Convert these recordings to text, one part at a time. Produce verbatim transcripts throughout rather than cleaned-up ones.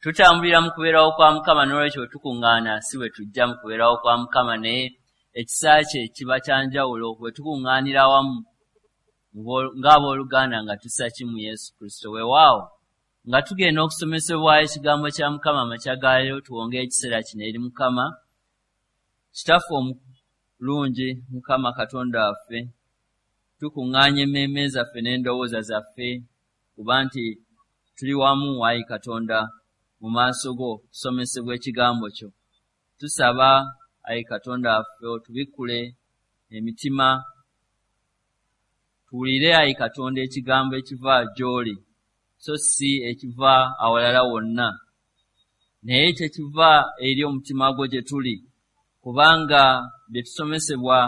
Tutambulira mu kubeerawo kwa Mukama, n'olwekyo bwe tukuŋŋaana si bwe tujja mu kubeerawo kwa Mukama, naye ekisa kye kiba kya njawulo bwe tukuŋŋaanira awamu ng'abooluganda nga tussa kimu Yesu Kristo. Weewaawo nga tugenda okusomesebwa ekigambo kya Mukama amakya ga leero, tuwonge ekiseera kino eri Mukama. Kitaffe omulungi, Mukama Katonda waffe, tukuŋŋaanya emmeeme zaffe n'endowooza zaffe kuba nti tuli wamu, ayi Katonda, mu maaso go tusomesebwa ekigambo kyo. Tusaba, ayi Katonda waffe, otubikkule emitima, tuwulire, ayi Katonda, ekigambo ekiva gy'oli, so si ekiva awalala wonna, naye kyekiva eri omutima gwo gye tuli, kubanga bye tusomesebwa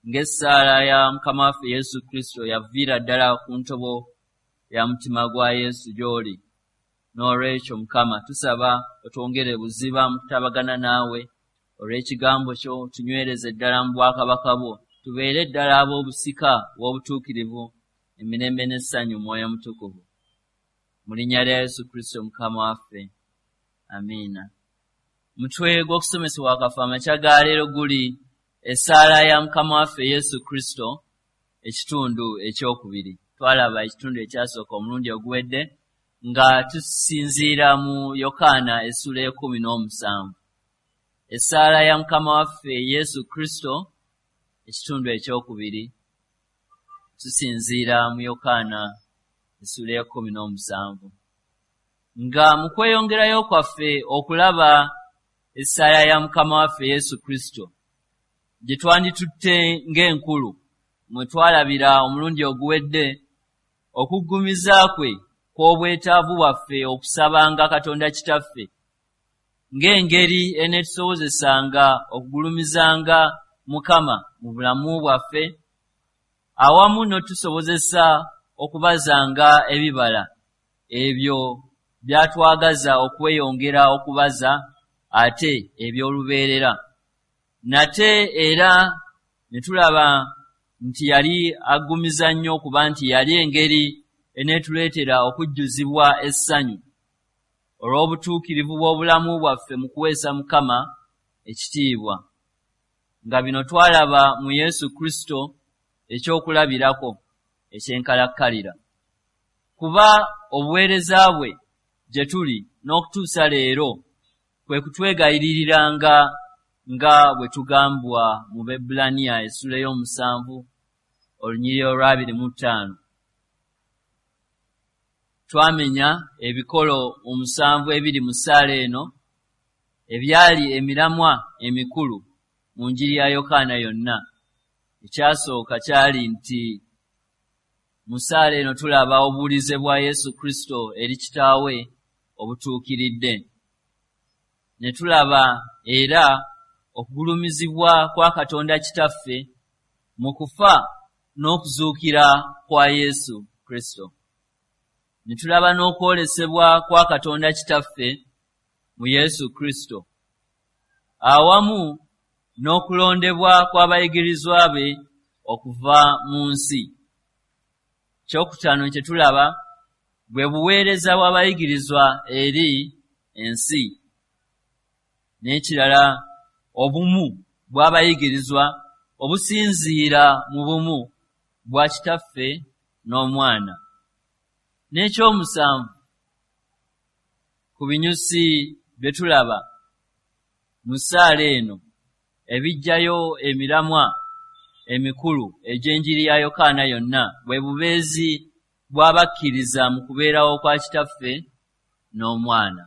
ng'essaala ya Mukama waffe Yesu Kristo yaviira ddala ku ntobo ya mutima gwa Yesu gy'oli. N'olwekyo Mukama tusaba otwongere buziba mu kutabagana naawe olw'ekigambo kyo, tunywereze ddala mu bwakabaka bwo, tubeere ddala ab'obusika bw'obutuukirivu emirembe n'essanyu Mwoyo Mutukuvu. Mu linnya lya Yesu Kristo Mukama waffe, amiina. Mutwe gw'okusomesebwa kwaffe amakya ga leero guli essaala ya Mukama waffe Yesu Kristo, ekitundu ekyokubiri. Twalaba ekitundu ekyasooka omulundi oguwedde nga tusinziira mu Yokaana essuula y'ekkumi n'omusanvu. Essaala ya Mukama waffe Yesu Kristo, ekitundu ekyokubiri, tusinziira mu Yokaana essuula y'ekkumi n'omusanvu. Nga mu kweyongerayo kwaffe okulaba essaala ya Mukama waffe Yesu Kristo gye twanditutte ng'enkulu, mwe twalabira omulundi oguwedde okuggumiza kwe kw'obwetaavu bwaffe okusabanga Katonda Kitaffe ng'engeri eneetusobozesanga okugulumizanga Mukama mu bulamu bwaffe, awamu n'otusobozesa okubazanga ebibala ebyo byatwagaza okweyongera okubaza ate eby'olubeerera. Nate era ne tulaba nti yali aggumiza nnyo okuba nti yali engeri eneetuleetera okujjuzibwa essanyu olw'obutuukirivu bw'obulamu bwaffe mu kuweesa Mukama ekitiibwa, nga bino twalaba mu Yesu Kristo ekyokulabirako ekyenkalakkalira. Kuba obuweereza bwe gye tuli n'okutuusa leero kwe kutwegayiririranga nga bwe tugambwa mu Baebbulaniya essuula ey'omusanvu olunyiriri olw'abiri mu ttaano. Twamenya ebikolo omusanvu ebiri mu ssaala eno ebyali emiramwa emikulu mu njiri ya Yokaana yonna. Ekyasooka kyali nti mu ssaala eno tulaba obuwulize bwa Yesu Kristo eri Kitaawe obutuukiridde. Ne tulaba era okugulumizibwa kwa Katonda Kitaffe mu kufa n'okuzuukira kwa Yesu Kristo. Ne tulaba n'okwolesebwa kwa Katonda Kitaffe mu Yesu Kristo, awamu n'okulondebwa kw'abayigirizwa be okuva mu nsi. Ekyokutaano kye tulaba bwe buweereza bw'abayigirizwa eri ensi. N'ekirala, obumu bw'abayigirizwa obusinziira mu bumu bwa Kitaffe n'Omwana. N'ekyomusanvu ku binyusi bye tulaba mu ssaala eno ebiggyayo emiramwa emikulu egy'enjiri ya Yokaana yonna bwe bubeezi bw'abakkiriza mu kubeerawo kwa Kitaffe n'Omwana.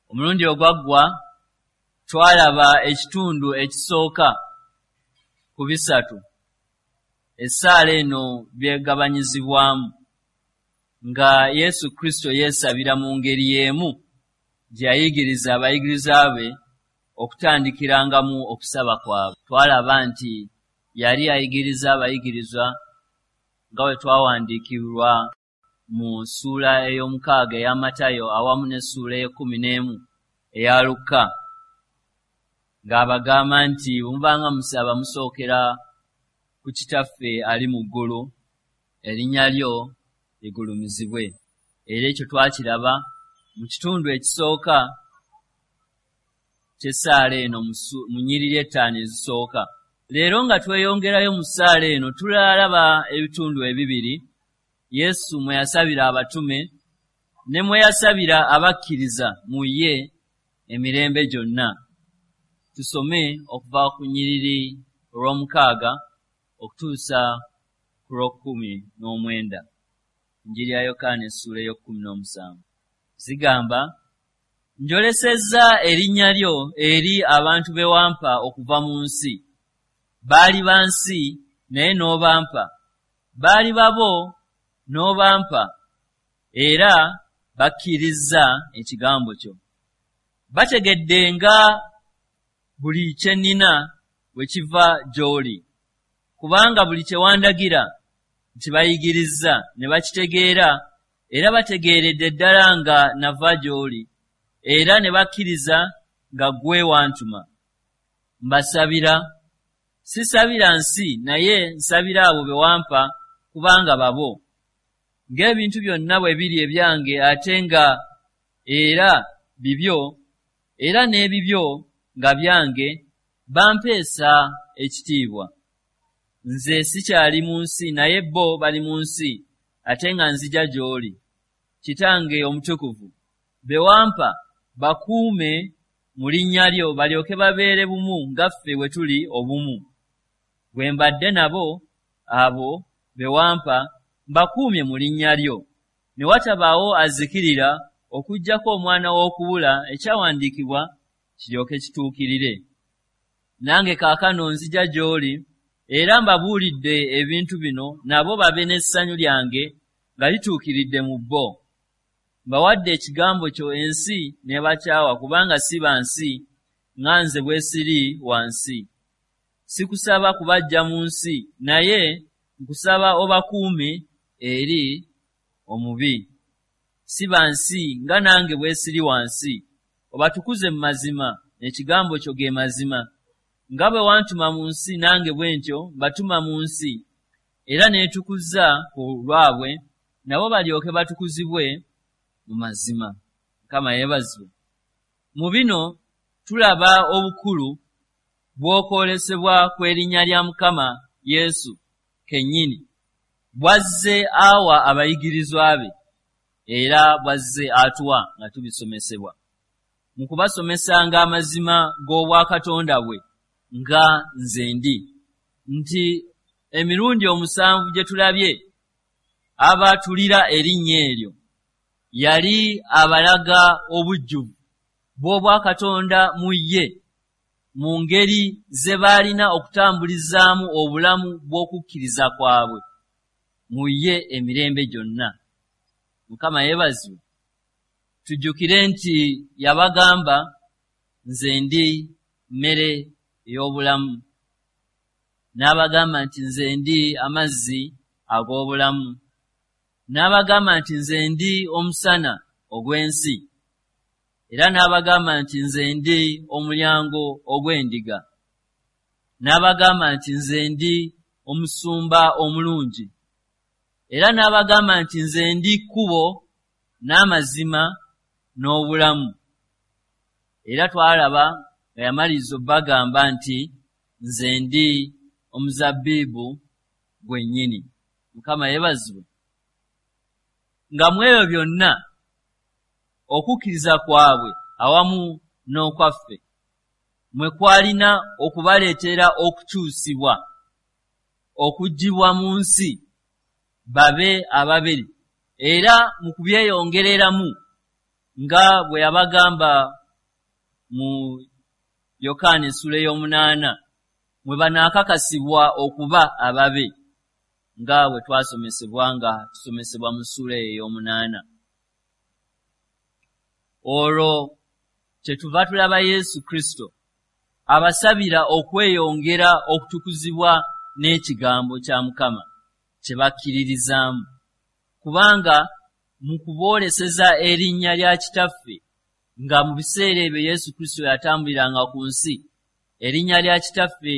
Omulundi ogwaggwa twalaba ekitundu ekisooka ku bisatu essaala eno byegabanyizibwamu, nga Yesu Kristo yeesabira mu ngeri y'emu gye yayigiriza abayigiriza be okutandikirangamu okusaba kwabwe. Twalaba nti yali ayigiriza abayigirizwa nga bwe twawandiikirwa mu ssuula ey'omukaaga eya Matayo awamu n'essuula ey'ekkumi n'emu eya Lukka, ng'abagamba nti bwe mubanga musaba musookera ku Kitaffe ali mu ggulu, erinnya lyo ligulumizibwe. Era ekyo twakiraba Mu kitundu ekisooka ky'essaala eno mu nnyiriri ettaano ezisooka. Leero nga tweyongerayo mu ssaala eno tulalaba ebitundu ebibiri Yesu mwe yasabira abatume ne mwe yasabira abakkiriza mu ye emirembe gyonna. Tusome okuva ku nnyiriri olw'omukaaga okutuusa ku lw'okkumi n'omwenda. Enjiri ya Yokaana essuula ey'okkumi n'omusanvu. Zigamba, njolesezza erinnya lyo eri abantu be wampa okuva mu nsi. Baali ba nsi naye n'obampa, baali babo n'obampa, era bakkirizza ekigambo kyo. Bategedde nga buli kye nnina bwe kiva gy'oli, kubanga buli kye wandagira nti bayigirizza ne bakitegeera, era bategeeredde ddala nga nava gy'oli, era ne bakkiriza nga ggwe wantuma. Mbasabira, sisabira nsi naye nsabira abo be wampa kubanga babo. Ng'ebintu byonna bwe biri ebyange ate nga era bibyo, era n'ebibyo nga byange, bampeesa ekitiibwa. Nze sikyali mu nsi naye bo bali mu nsi, ate nga nzija gy'oli. Kitange omutukuvu, be wampa bakuume mu linnya lyo balyoke babeere bumu nga ffe bwe tuli obumu. Bwe mbadde nabo abo be wampa mbakuumye mu linnya lyo, ne watabaawo azikirira okuggyako omwana w'okubula, ekyawandiikibwa kiryoke kituukirire. Nange kaakano nzija gy'oli, era mbabuulidde ebintu bino nabo babe n'essanyu lyange nga lituukiridde mu bo. Mbawadde ekigambo kyo ensi n'ebakyawa kubanga si ba nsi nga nze bwe siri wa nsi. Sikusaba kubaggya mu nsi, naye nkusaba obakuume eri omubi. Si ba nsi nga nange bwe siri wa nsi. Obatukuze mu mazima, ekigambo kyo ge mazima. Nga bwe wantuma mu nsi nange bwe ntyo mbatuma mu nsi, era neetukuza ku lwabwe, nabo balyoke batukuzibwe mu mazima. Mukama yeebazibwe. Mu bino tulaba obukulu bw'okwolesebwa kw'erinnya lya Mukama Yesu kennyini, bw'azze awa abayigirizwa be, era bw'azze atuwa nga tubisomesebwa. Mu kubasomesanga amazima g'obwakatonda bwe nga nze ndi, nti emirundi omusanvu gye tulabye abaatulira erinnya eryo, yali abalaga obujjuvu bw'obwakatonda mu ye, mu ngeri ze baalina okutambulizaamu obulamu bw'okukkiriza kwabwe mu ye emirembe gyonna. Mukama yeebazibwe. Tujjukire nti yabagamba, nze ndi mmere ey'obulamu. N'abagamba nti nze ndi amazzi ag'obulamu. N'abagamba nti nze ndi omusana ogw'ensi. Era n'abagamba nti nze ndi omulyango ogw'endiga. N'abagamba nti nze ndi omusumba omulungi. Era n'abagamba nti nze ndi kkubo n'amazima n'obulamu. Era twalaba nga yamaliriza obbagamba nti nze ndi omuzabbibu gwennyini. Mukama yeebazibwe. Nga mu ebyo byonna okukkiriza kwabwe awamu n'okwaffe mwe kwalina okubaleetera okukyusibwa, okuggyibwa mu nsi babe ababiri, era mu kubyeyongereramu nga bwe yabagamba mu Yokaana essuula ey'omunaana, mwe banaakakasibwa okuba ababe, nga bwe twasomesebwa nga tusomesebwa mu ssuula eyo ey'omunaana. Olwo kyetuva tulaba Yesu Kristo abasabira okweyongera okutukuzibwa n'ekigambo kya Mukama kye bakkiririzaamu, kubanga mu kubooleseza erinnya lya Kitaffe, nga mu biseera ebyo Yesu Kristo yatambuliranga ku nsi, erinnya lya Kitaffe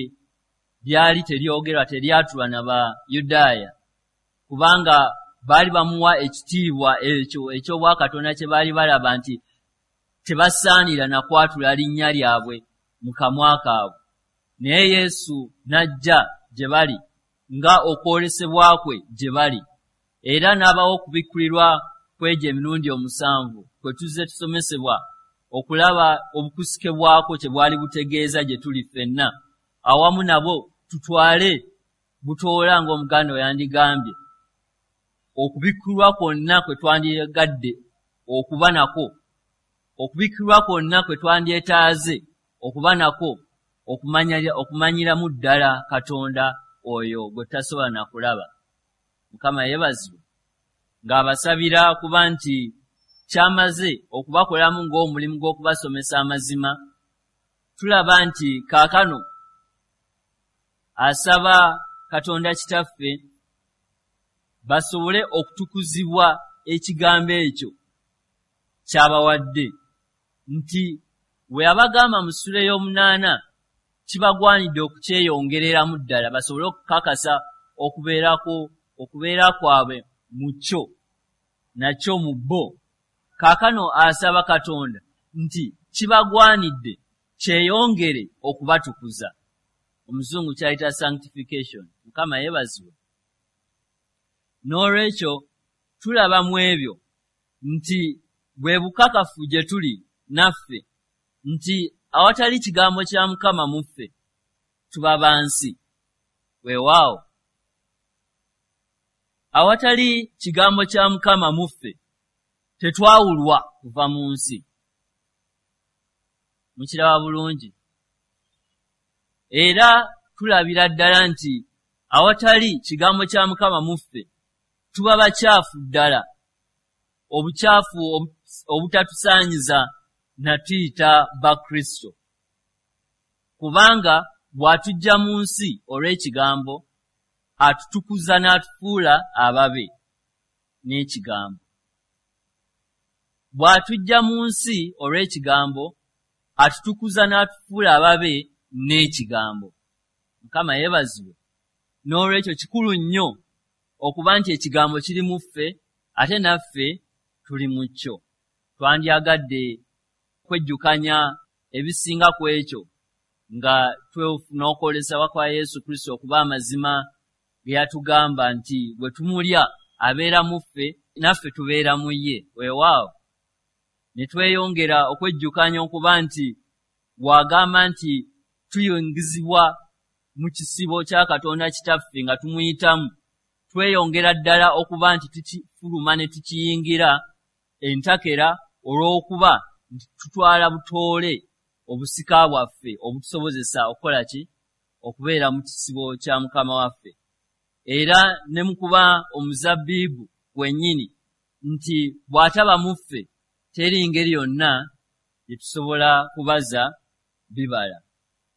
lyali teryogerwa, teryatulwa na Bayudaaya, kubanga baali bamuwa ekitiibwa ekyo eky'obwakatonda kye baali balaba nti tebasaanira na kwatula linnya lyabwe mu kamwa kaabwe. Naye Yesu n'ajja gye bali nga okwolesebwa kwe gye bali, era n'abawa okubikkulirwa kw'egyo emirundi omusanvu kwe tuzze tusomesebwa okulaba obukusike bwako kye bwali butegeeza gye tuli ffenna awamu nabo tutwale butoola ng'omuganda oyandigambye okubikkulwa kwonna kwe twandyagadde okuba nako, okubikkulwa kwonna kwe twandyetaaze okuba nako okumanyiramu ddala Katonda oyo gwe tutasobola na kulaba. Mukama yeebazibwe ng'abasabira kuba nti kyamaze okubakolamu ng'omulimu gw'okubasomesa amazima. Tulaba nti kaakano asaba Katonda Kitaffe basobole okutukuzibwa ekigambo ekyo ky'abawadde, nti bwe yabagamba mu ssuula ey'omunaana kibagwanidde okukyeyongereramu ddala basobole okukakasa okubeerako okubeera kwabwe mu kyo nakyo mu bo. Kaakano asaba Katonda nti kibagwanidde kyeyongere okubatukuza. Omuzungu kyayita sanctification. Mukama yeebazibwe. N'olwekyo tulaba mu ebyo nti bwe bukakafu gye tuli naffe nti awatali kigambo kya Mukama mu ffe tuba ba nsi. Weewaawo, awatali kigambo kya Mukama mu ffe tetwawulwa kuva mu nsi. Mukiraba bulungi. Era tulabira ddala nti awatali kigambo kya Mukama mu ffe tuba bakyafu ddala, obukyafu obutatusaanyiza na tuyita Bakristo. Kubanga bw'atujja mu nsi olw'ekigambo atutukuza n'atufuula ababe n'ekigambo. Bw'atujja mu nsi olw'ekigambo atutukuza n'atufuula ababe n'ekigambo. Mukama yeebazibwe. N'olwekyo kikulu nnyo okuba nti ekigambo kiri mu ffe ate naffe tuli mu kyo. Twandyagadde kwejjukanya ebisinga ku ekyo nga twefuna okwolesebwa kwa Yesu Kristo okuba amazima ge yatugamba nti bwe tumulya abeera mu ffe naffe tubeera mu ye. Weewaawo, ne tweyongera okwejjukanya okuba nti bw'agamba nti tuyingizibwa mu kisibo kya Katonda Kitaffe nga tumuyitamu, tweyongera ddala okuba nti tukifuluma ne tukiyingira entakera olw'okuba nti tutwala butoole obusika bwaffe obutusobozesa okukola ki? Okubeera mu kisibo kya Mukama waffe. Era ne mu kuba omuzabbibu gwennyini nti bw'ataba mu ffe teri ngeri yonna gye tusobola kubaza bibala.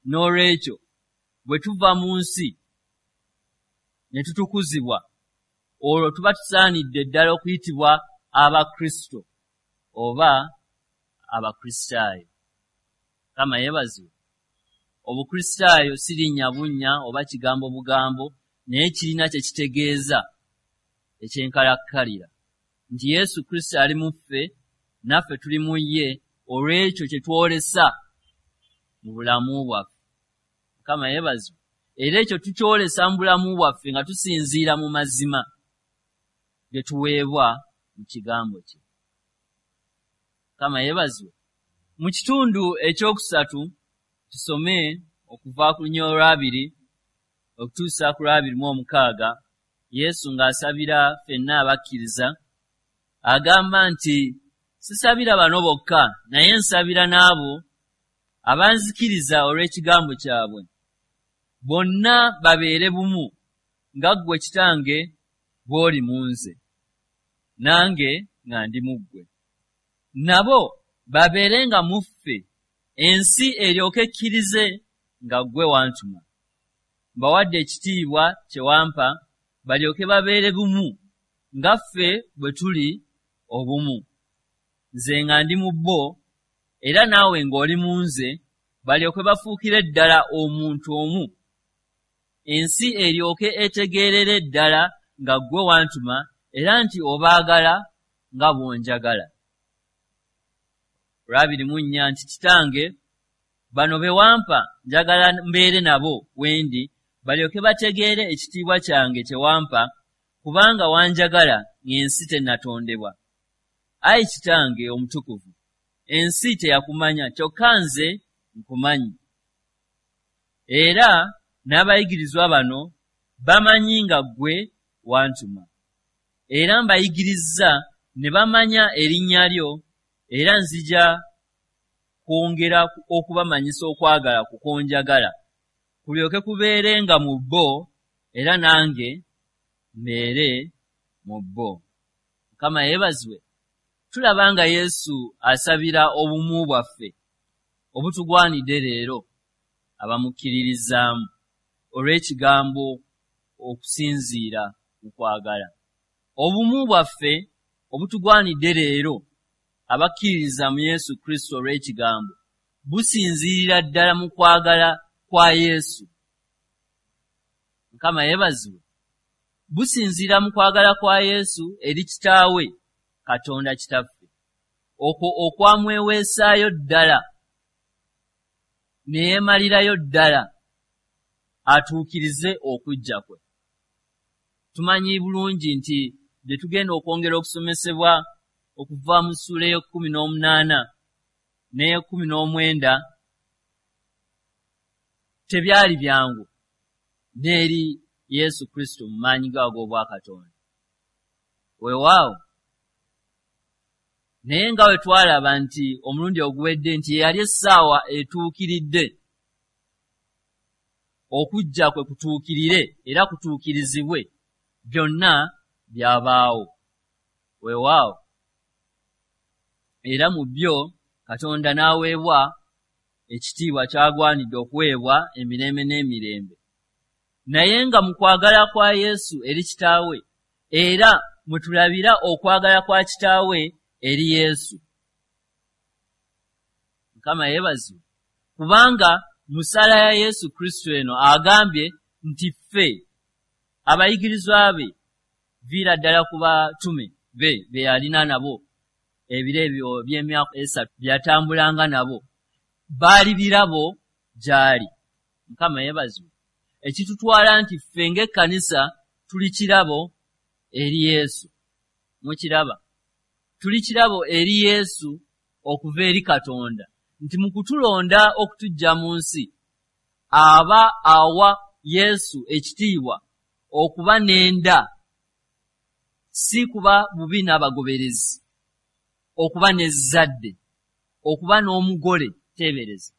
N'olwekyo bwe tuva mu nsi ne tutukuzibwa, olwo tuba tusaanidde ddala okuyitibwa Abakristo oba Abakristaayo. Mukama yeebazibwe. Obukristaayo si linnya bunnya oba kigambo bugambo, naye kirina kye kitegeeza ekyenkalakkalira nti Yesu Kristo ali mu ffe naffe tuli mu ye olw'ekyo kye twolesa mu bulamu bwaffe. Mukama yeebazibwe. Era ekyo tukyolesa mu bulamu bwaffe nga tusinziira mu mazima ge tuweebwa mu kigambo kye. Mukama yeebazibwe. Mu kitundu ekyokusatu tusome okuva ku lunya olwabiri okutuusa ku lwabiri mu omukaaga. Yesu ng'asabira ffenna abakkiriza agamba nti sisabira bano bokka, naye nsabira n'abo abanzikiriza olw'ekigambo kyabwe, bonna babeere bumu nga ggwe Kitange bw'oli mu nze, nange nga ndi mu ggwe, nabo babeerenga mu ffe, ensi eryoke ekkirize nga ggwe wantuma. Mbawadde ekitiibwa kye wampa, balyoke babeere bumu nga ffe bwe tuli obumu, nze nga ndi mu bo era naawe ng'oli mu nze, balyoke bafuukire ddala omuntu omu, ensi eryoke etegeerere ddala nga ggwe wantuma era nti obaagala nga bw'onjagala. Olwabiri mu nnya nti Kitange, bano be wampa njagala mbeere nabo wendi, balyoke bategeere ekitiibwa kyange kye wampa, kubanga wanjagala ng'ensi tennatondebwa. Ayi Kitange omutukuvu, ensi teyakumanya, kyokka nze nkumanyi. Era n'abayigirizwa bano bamanyi nga ggwe wantuma. Era mbayigirizza ne bamanya erinnya lyo, era nzija kwongera okubamanyisa okwagala kukonjagala, kulyoke kubeerenga mu bo, era nange mbeere mu bo. Mukama yeebazibwe. Tulaba nga Yesu asabira obumu bwaffe obutugwanidde leero abamukkiririzaamu olw'ekigambo okusinziira mu kwagala. Obumu bwaffe obutugwanidde leero abakkiririza mu Yesu Kristo olw'ekigambo businziirira ddala mu kwagala kwa Yesu. Mukama yeebazibwe. Businziira mu kwagala kwa Yesu eri Kitaawe Katonda Kitaffe, okwo okwamweweesaayo ddala ne yeemalirayo ddala atuukirize okujja kwe. Tumanyi bulungi nti bye tugenda okwongera okusomesebwa okuva mu ssuula ey'ekkumi n'omunaana n'ey'ekkumi n'omwenda tebyali byangu n'eri Yesu Kristo mu maanyi ge ag'obwakatonda. Weewaawo, naye nga bwe twalaba nti omulundi oguwedde nti ye yali essaawa etuukiridde okujja kwe kutuukirire era kutuukirizibwe, byonna byabaawo. Weewaawo, era mu byo Katonda n'aweebwa ekitiibwa ky'agwanidde okuweebwa emirembe n'emirembe. Naye nga mu kwagala kwa Yesu eri Kitaawe, era mwe tulabira okwagala kwa Kitaawe eri Yesu. Mukama yeebazibwe, kubanga mu ssaala ya Yesu Kristo eno agambye nti ffe abayigirizwa be, viira ddala ku batume be be yalina nabo ebiro ebyo by'emyaka esatu bye yatambulanga nabo, baali birabo gy'ali. Mukama yeebazibwe. Ekitutwala nti ffe ng'ekkanisa tuli kirabo eri Yesu. Mukiraba, tuli kirabo eri Yesu okuva eri Katonda, nti mu kutulonda okutuggya mu nsi aba awa Yesu ekitiibwa okuba n'enda, si kuba bubi n'abagoberezi, okuba n'ezzadde, okuba n'omugole. Teebereza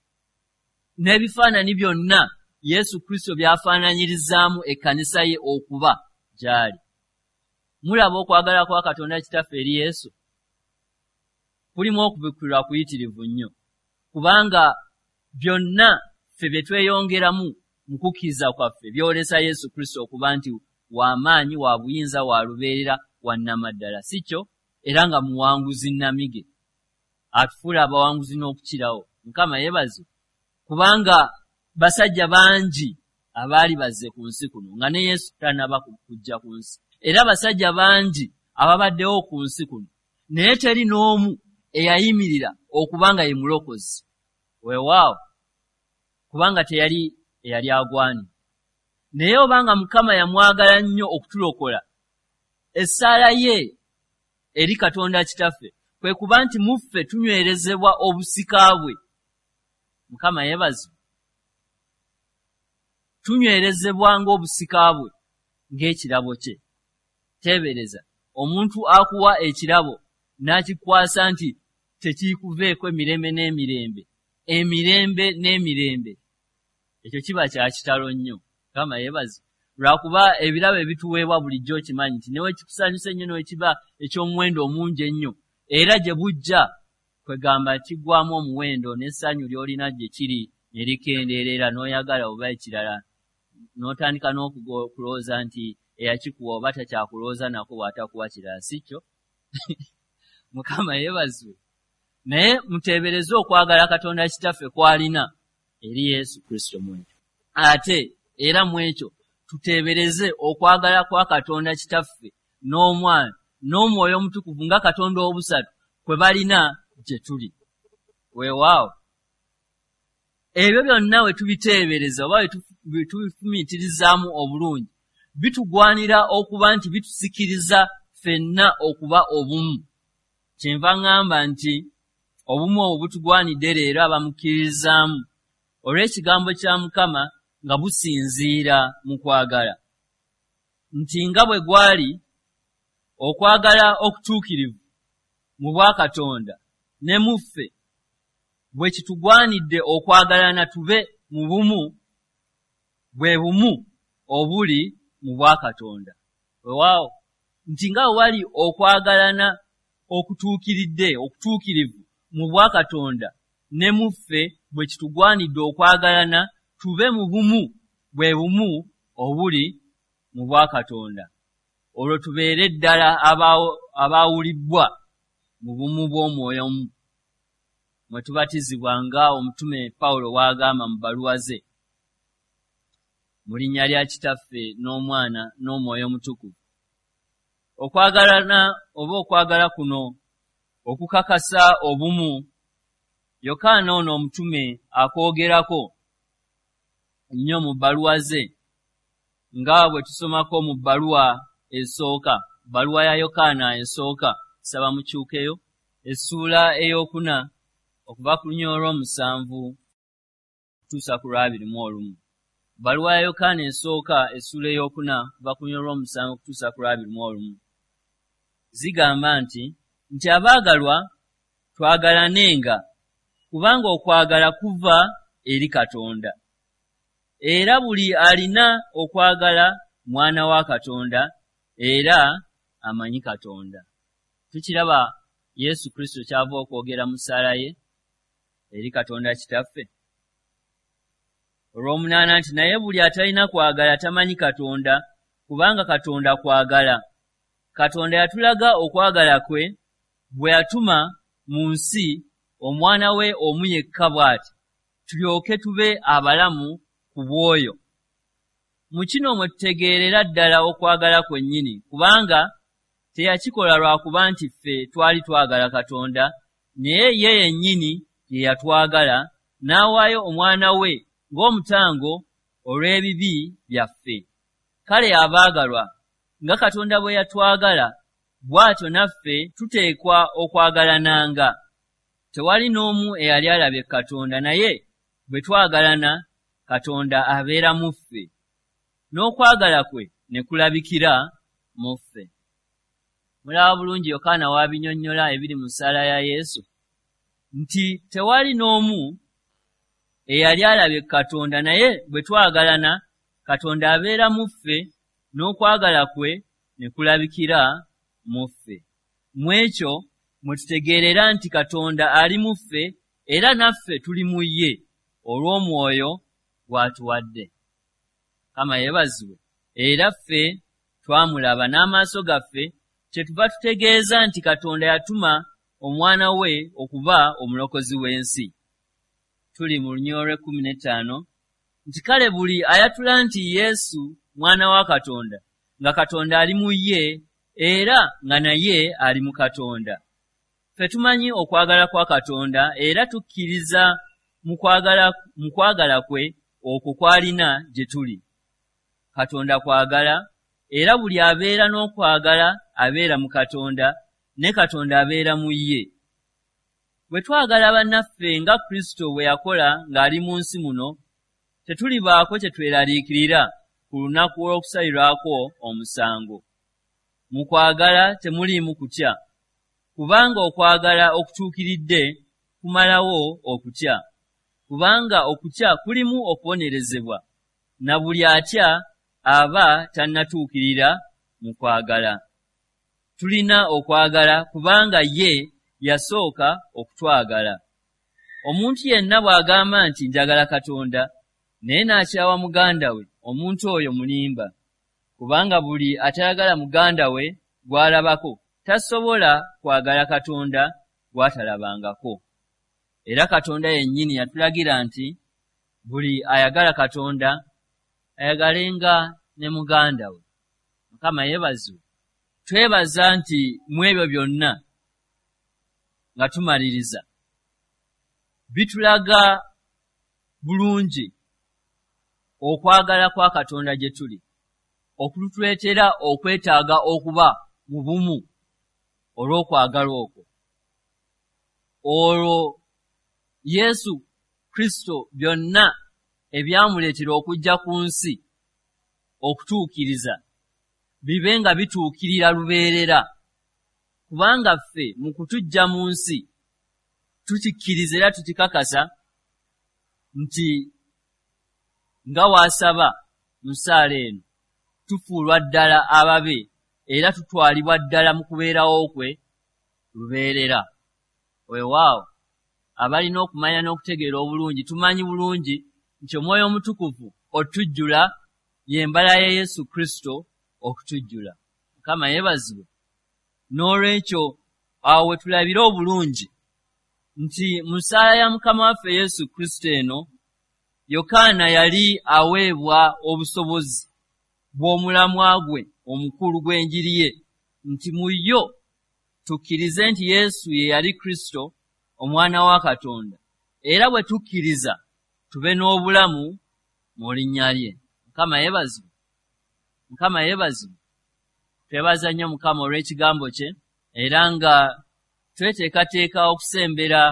n'ebifaananyi byonna Yesu Kristo by'afaananyirizaamu ekkanisa ye okuba gy'ali. Mulaba okwagala kwa Katonda Kitaffe eri Yesu kulimu okubikkulirwa kuyitirivu nnyo, kubanga byonna ffe bye tweyongeramu mu kukkiriza kwaffe byolesa Yesu Kristo okuba nti w'amaanyi, wa buyinza, wa lubeerera, wa nnamaddala, si kyo? Era nga muwanguzi nnamige, atufuula abawanguzi n'okukirawo. Mukama yeebazibwe, kubanga basajja bangi abaali bazze ku nsi kuno nga ne Yesu tannaba kujja ku nsi, era basajja bangi ababaddewo ku nsi kuno, naye teri n'omu eyayimirira okuba nga ye mulokozi. Weewaawo, kubanga teyali eyali agwanidde. Naye obanga Mukama yamwagala nnyo okutulokola, essaala ye eri Katonda Kitaffe kwe kuba nti mu ffe tunywerezebwa obusika bwe. Mukama yeebazibwe. Tunywerezebwa ng'obusika bwe, ng'ekirabo kye. Teebereza omuntu akuwa ekirabo n'akikwasa nti tekiikuveeko emirembe n'emirembe, emirembe n'emirembe. Ekyo kiba kya kitalo nnyo. Mukama yeebazibwe. Lwakuba ebirabo ebituweebwa bulijjo okimanyi nti ne bwe kikusanyusa ennyo, ne bwe kiba eky'omuwendo omungi ennyo, era gye bujja kwegamba kiggwaamu omuwendo n'essanyu ly'olina gye kiri ne likendeera, n'oyagala oba ekirala, n'otandika n'okulowooza nti eyakikuwa oba takyakulowooza nako bw'atakuwa kirala, si kyo? Mukama yeebazibwe. Naye muteebereze okwagala Katonda Kitaffe kw'alina eri Yesu Kristo mu ekyo. Ate era mu ekyo tuteebereze okwagala kwa Katonda Kitaffe n'Omwana n'Omwoyo Omutukuvu nga Katonda obusatu kwe balina gye tuli. Weewaawo ebyo byonna we tubiteebereza oba we tubifumiitirizaamu obulungi, bitugwanira okuba nti bitusikiriza ffenna okuba obumu. Kyenva ŋŋamba nti obumu obwo butugwanidde leero abamukkirizaamu olw'ekigambo kya Mukama nga businziira mu kwagala, nti nga bwe gwali okwagala okutuukirivu mu bwakatonda ne mu ffe, bwe kitugwanidde okwagalana tube mu bumu, bwe bumu obuli mu bwakatonda. Weewaawo nti nga bwe wali okwagalana okutuukiridde okutuukirivu mu bwakatonda ne mu ffe, bwe kitugwanidde okwagalana tube mu bumu, bwe bumu obuli mu bwakatonda, olwo tubeere ddala abaawulibbwa mu bumu bw'omwoyo omu mwe tubatizibwa nga omutume Pawulo bw'agamba mu bbaluwa ze, mu linnya lya Kitaffe n'Omwana n'Omwoyo Omutukuvu. Okwagalana oba okwagala kuno okukakasa obumu, Yokaana ono omutume akwogerako nnyo mu bbaluwa ze, nga bwe tusomako mu bbaluwa esooka, bbaluwa ya Yokaana esooka, saba mukyukeyo, essuula ey'okuna okuva ku lunyiriri olw'omusanvu okutuusa ku lw'abiri mu olumu. Bbaluwa ya Yokaana esooka essuula ey'okuna okuva ku lunyiriri olw'omusanvu okutuusa ku lw'abiri mu olumu zigamba nti nti abaagalwa twagalanenga, kubanga okwagala kuva eri Katonda, era buli alina okwagala mwana wa Katonda era amanyi Katonda. Tukiraba Yesu Kristo ky'ava okwogera mu ssaala ye eri Katonda Kitaffe. Olw'omunaana nti naye buli atalina kwagala tamanyi Katonda, kubanga Katonda kwagala. Katonda yatulaga okwagala kwe bwe yatuma mu nsi omwana we omu yekka bw'ati, tulyoke tube abalamu ku bw'oyo. Mu kino mwe tutegeerera ddala okwagala kwennyini, kubanga teyakikola lwakuba nti ffe twali twagala Katonda, naye ye yennyini ye yatwagala n'awaayo omwana we ng'omutango olw'ebibi byaffe. Kale abaagalwa, nga Katonda bwe yatwagala, bw'atyo naffe tuteekwa okwagalananga. Tewali n'omu eyali alabye Katonda, naye bwe twagalana, Katonda abeera mu ffe, n'okwagala kwe ne kulabikira mu ffe. Mulaba bulungi Yokaana w'abinnyonnyola ebiri mu ssaala ya Yesu nti tewali n'omu eyali alabye Katonda, naye bwe twagalana, Katonda abeera mu ffe, n'okwagala kwe ne kulabikira mu ffe. Mu ekyo mwe tutegeerera nti Katonda ali mu ffe era naffe tuli mu ye olw'omwoyo gw'atuwadde. Mukama yeebazibwe. Era ffe twamulaba n'amaaso gaffe, kyetuva tutegeeza nti Katonda yatuma omwana we okuba omulokozi w'ensi. Tuli mu lunyiriri olw'ekkumi n'ettaano nti kale buli ayatula nti Yesu mwana wa Katonda, nga Katonda ali mu ye era nga naye ali mu Katonda. Ffe tumanyi okwagala kwa Katonda era tukkiriza mu kwagala mu kwagala kwe okwo kw'alina gye tuli. Katonda kwagala, era buli abeera n'okwagala abeera mu Katonda, ne Katonda abeera mu ye. Bwe twagala bannaffe nga Kristo bwe yakola ng'ali mu nsi muno, tetulibaako kye tweraliikirira ku lunaku olw'okusalirwako omusango. Mu kwagala temuliimu kutya, kubanga okwagala okutuukiridde kumalawo okutya, kubanga okutya kulimu okubonerezebwa, na buli atya aba tannatuukirira mu kwagala. Tulina okwagala kubanga ye yasooka okutwagala. Omuntu yenna bw'agamba nti njagala Katonda, naye n'akyawa muganda we, omuntu oyo mulimba. Kubanga buli atayagala muganda we gw'alabako tasobola kwagala Katonda gw'atalabangako. Era Katonda yennyini yatulagira nti buli ayagala Katonda ayagalenga ne muganda we. Mukama yeebazibwe. Twebaza nti mu ebyo byonna nga tumaliriza bitulaga bulungi okwagala kwa Katonda gye tuli, okutuleetera okwetaaga okuba mu bumu olw'okwagala okwo. Olwo Yesu Kristo byonna ebyamuleetera okujja ku nsi okutuukiriza bibe nga bituukirira lubeerera, kubanga ffe mu kutujja mu nsi tukikkiriza era tukikakasa nti nga waasaba mu ssaala eno tufuulwa ddala ababe era tutwalibwa ddala mu kubeerawo kwe lubeerera. Weewaawo abalina okumanya n'okutegeera obulungi tumanyi bulungi nti Omwoyo Omutukuvu otujjula y'embala ya Yesu Kristo okutujjula. Mukama yeebazibwe. N'olwekyo awo we tulabira obulungi nti mu ssaala ya Mukama waffe Yesu Kristo eno Yokaana yali aweebwa obusobozi bw'omulamwa gwe omukulu gw'enjiri ye, nti mu yo tukkirize nti Yesu ye yali Kristo omwana wa Katonda, era bwe tukkiriza tube n'obulamu mu linnya lye. Mukama yeebazibwe. Mukama yeebazibwe. Twebaza nnyo Mukama olw'ekigambo kye, era nga tweteekateeka okusembera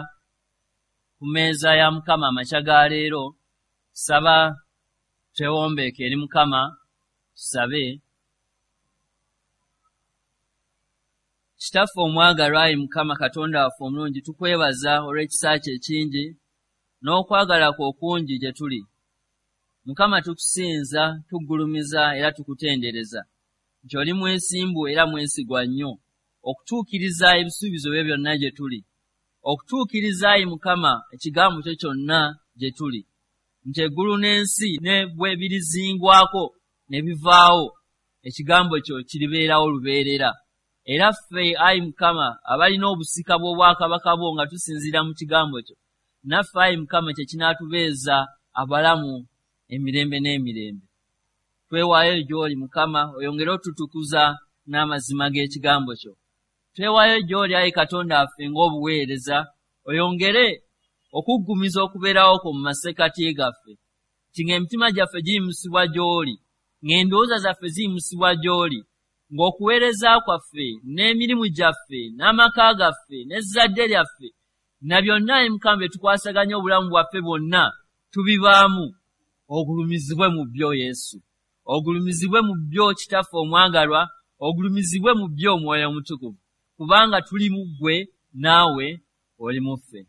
ku mmeeza ya Mukama amakya ga leero. Saba twewombeeke eri Mukama, tusabe. Kitaffe omwagalwa, ayi Mukama Katonda waffe omulungi, tukwebaza olw'ekisa kyo ekingi n'okwagala kwo okungi gye tuli. Mukama tukusinza, tuggulumiza era tukutendereza nti oli mwesimbu era mwesigwa nnyo okutuukiriza ebisuubizo byo byonna gye tuli, okutuukiriza ayi Mukama ekigambo kyo kyonna gye tuli, nti eggulu n'ensi ne bwe birizingwako ne bivaawo, ekigambo kyo kiribeerawo lubeerera. Era ffe ayi Mukama abalina obusika bw'obwakabaka bwo nga tusinziira mu kigambo kyo, naffe ayi Mukama kye kinaatubeeza abalamu emirembe n'emirembe. Twewaayo gy'oli Mukama, oyongere otutukuza n'amazima g'ekigambo kyo. Twewaayo gy'oli ayi Katonda waffe ng'obuweereza, oyongere okuggumiza okubeerawo kwo mu masekkati gaffe, nti ng'emitima gyaffe giyimusibwa gy'oli, ng'endowooza zaffe ziyimusibwa gy'oli, ng'okuweereza kwaffe n'emirimu gyaffe n'amaka gaffe n'ezzadde lyaffe na byonna ayi Mukama bye tukwasaganya obulamu bwaffe bwonna tubibaamu. Ogulumizibwe mu byo Yesu, ogulumizibwe mu byo Kitaffe omwagalwa, ogulumizibwe mu byo Omwoyo Omutukuvu, kubanga tuli mu ggwe naawe oli mu ffe.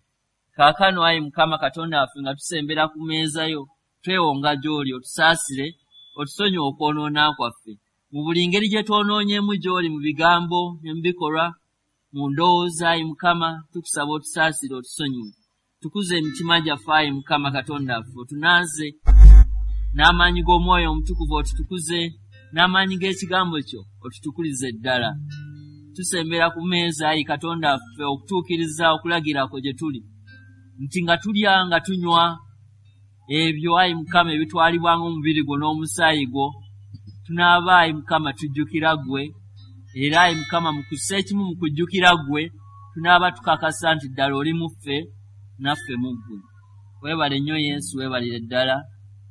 Kaakano ayi Mukama Katonda waffe nga tusembera ku mmeeza yo, twewonga gy'oli otusaasire, otusonyiwe okwonoona kwaffe mu buli ngeri gye twonoonyeemu gy'oli, mu bigambo ne mu bikolwa, mu ndowooza. Ayi Mukama tukusaba otusaasire, otusonyiwe. Tukuze emitima gyaffe ayi Mukama Katonda waffe, otunaaze n'amaanyi g'Omwoyo Omutukuvu, otutukuze n'amaanyi g'ekigambo kyo, otutukulize ddala. Tusembera ku mmeeza ayi Katonda waffe okutuukiriza okulagira kwo gye tuli, nti nga tulya nga tunywa ebyo ayi Mukama ebitwalibwa ng'omubiri gwo n'omusaayi gwo, tunaaba ayi Mukama tujjukira ggwe, era ayi Mukama mu kussa ekimu mu kujjukira ggwe tunaaba tukakasa nti ddala oli mu ffe naffe mu ggwe. Weebale nnyo Yesu, weebalire ddala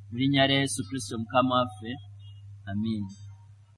mu linnya lya Yesu Kristo Mukama waffe, amiina.